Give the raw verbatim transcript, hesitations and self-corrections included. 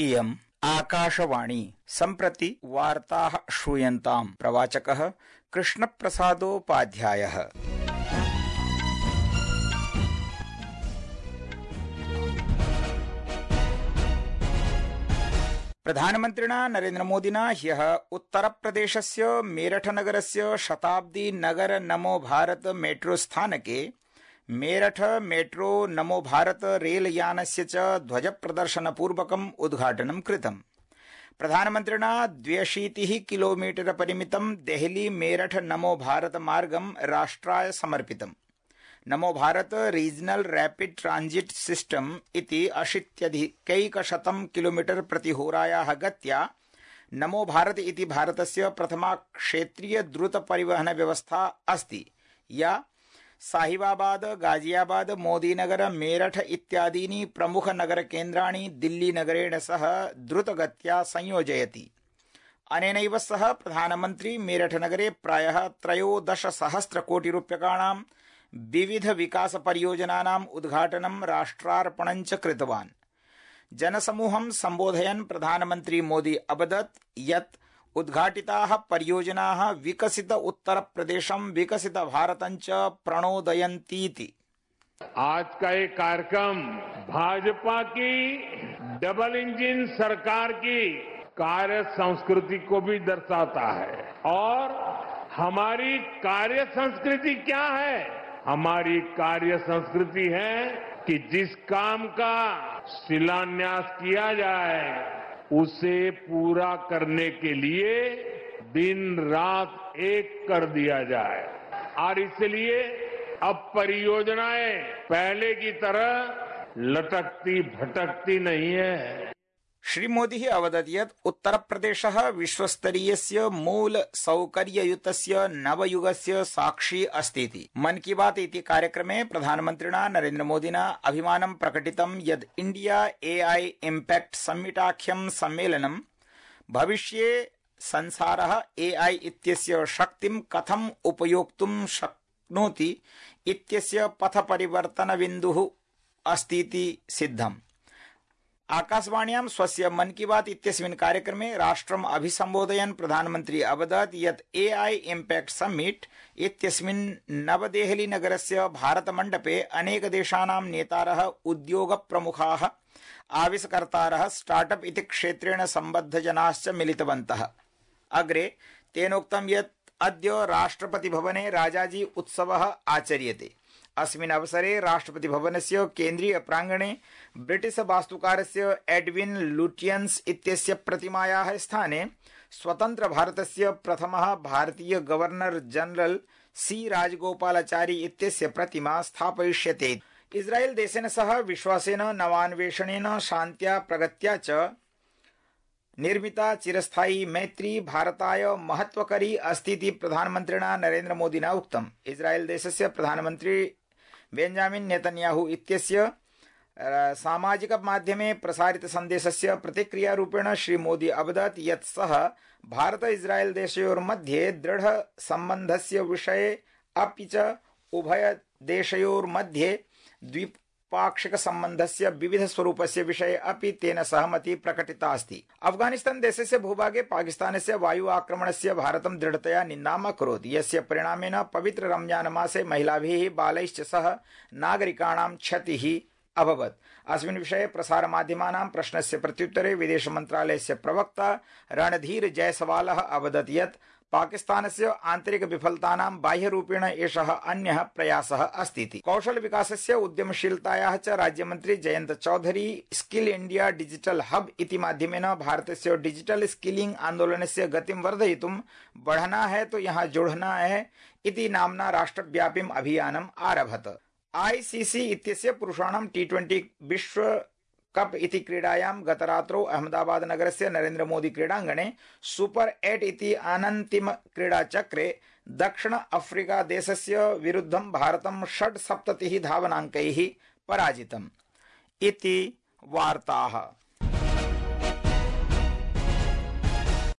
इयम् आकाशवाणी। सम्प्रति वार्ताः श्रूयन्ताम्। प्रवाचकः कृष्णप्रसादोपाध्यायः। प्रधानमन्त्रिणा नरेन्द्रमोदिना ह्यः उत्तरप्रदेशस्य मेरठनगरस्य शताब्दी नगर नमो भारत मेट्रो स्थानके मेरठ मेट्रो नमो भारत रेलयानस्य च ध्वजप्रदर्शनपूर्वकम् उद्घाटनं कृतम्। प्रधानमन्त्रिणा द्व्यशीतिः किलोमीटर परिमितं देहली मेरठ नमो भारत मार्गं राष्ट्राय समर्पितम्। नमो Bharata regional rapid transit system इति अशीत्यधिकैकशतं किलोमीटर प्रतिहोरायाः गत्या नमो भारत इति भारतस्य प्रथमा क्षेत्रीय द्रुत परिवहन व्यवस्था अस्ति, या साहिबाबाद, गाजियाबाद, मोदीनगर, मेरठ इत्यादीनि प्रमुख नगर केन्द्राणि दिल्ली नगरेण सह द्रुतगत्या संयोजयति। अनेनैव सह प्रधानमन्त्री मेरठ नगरे प्रायः त्रयोदश सहस्र कोटि रूप्यकाणां विविध विकास परियोजनानाम् उद्घाटनं राष्ट्रार्पणं च कृतवान्। जनसमूहं सम्बोधयन् प्रधानमन्त्री मोदी अवदत् यत् उद्घाटिताः परियोजनाः विकसित उत्तर प्रदेशं विकसित भारतं च प्रणोदयन्तीति। आज का ये कार्यक्रम भाजपा की डबल इंजन सरकार की कार्य संस्कृति को भी दर्शाता है। और हमारी कार्य संस्कृति क्या है? हमारी कार्य संस्कृति है कि जिस काम का शिलान्यास किया जाए उसे पूरा करने के लिए दिन रात एक कर दिया जाए। और इसलिए अब परियोजनाएं पहले की तरह लटकती भटकती नहीं है। श्री मोदी अवदत् यत् उत्तर प्रदेशः विश्वस्तरीयस्य मूल सौकर्ययुतस्य नवयुगस्य साक्षी अस्तीति। मन की बात इति कार्यक्रमे प्रधानमन्त्रिणा नरेन्द्रमोदिना अभिमानं प्रकटितं यत् इंडिया एआई इम्पैक्ट सम्मिटाख्यं सम्मेलनं भविष्ये संसारः एआई इत्यस्य शक्तिं कथं उपयोक्तुं शक्नोति इत्यस्य पथपरिवर्तनबिन्दुः अस्तीति सिद्धम्। आकाशवाण्यां स्वस्य मन की बात इत्यस्मिन् कार्यक्रमे राष्ट्रम् अभिसम्बोधयन् प्रधानमन्त्री अवदत् यत् एआई इम्पैक्ट समिट इत्यस्मिन् नवदेहली नगरस्य भारतमण्डपे अनेकदेशानां नेतारः, उद्योगप्रमुखाः, आविष्कर्तारः, स्टार्टअप इति क्षेत्रेण सम्बद्धजनाश्च मिलितवन्तः। अग्रे तेनोक्तं यत् अद्य राष्ट्रपतिभवने राजाजी उत्सवः आचर्यते। अस्मिन् अवसरे राष्ट्रपति भवनस्य केन्द्रीय प्रांगणे ब्रिटिश वास्तुकारस्य एडविन लुटियन्स इत्यस्य प्रतिमायाः स्थाने स्वतंत्र भारतस्य प्रथमः भारतीय गवर्नर जनरल सी राजगोपालाचारी इत्यस्य प्रतिमा स्थापयिष्यते। इस्राएल देशेन सह विश्वासेन, नवान्वेषणेन, शान्त्या, प्रगत्या च निर्मिता चिरस्थायी मैत्री भारताय महत्वकरी अस्तीति प्रधानमन्त्रिणा नरेन्द्र मोदिना उक्तम्। इस्राएल देशस्य प्रधानमन्त्री बेंजामिन नेतन्याहू इत्यस्य सामाजिक माध्यमे प्रसारित सन्देशस्य प्रतिक्रियारूपेण श्री मोदी अवदत् यत् सः भारत इस्राएल देशयोर्मध्ये दृढ सम्बन्धस्य विषये अपि च उभय देशयोर्मध्ये द्विपाक्षिक सम्बन्धस्य विविध स्वरूपस्य विषये अपि तेन सहमति प्रकटिता अस्ति। अफगानिस्तान देशस्य भूभागे पाकिस्तानस्य वायु आक्रमणस्य भारतं दृढतया निन्दाम् अकरोत्, यस्य परिणामेन पवित्र रमजान मासे महिलाभिः, बालैश्च सह नागरिकाणां क्षतिः अभवत्। अस्मिन् विषये प्रसारमाध्यमानां प्रश्नस्य प्रत्युत्तरे विदेश मन्त्रालयस्य प्रवक्ता रणधीर जयसवालः अवदत् यत् पाकिस्तानस्य आन्तरिक विफलतानां बाह्यरूपेण एषः अन्यः प्रयासः अस्तीति। कौशल विकासस्य, उद्यमशीलतायाः च राज्यमन्त्री Jayant Chaudhary skill India digital hub इति माध्यमेन भारतस्य डिजिटल स्किलिंग आन्दोलनस्य गतिं वर्धयितुं बढ़ना है तो यहाँ जुड़ना है इति नाम्ना राष्ट्रव्यापीम् अभियानम् आरभत। आईसीसी इत्यस्य पुरुषाणां टी ट्वेंटी विश्व कप इति क्रीडायां गतरात्रौ अहमदाबाद नगरस्य नरेन्द्र मोदी क्रीडाङ्गणे सुपर एट इति अनन्तिम क्रीडाचक्रे दक्षिण अफ्रीका देशस्य विरुद्धं भारतं षड्सप्ततिः धावनाङ्कैः पराजितम् इति वार्ताः।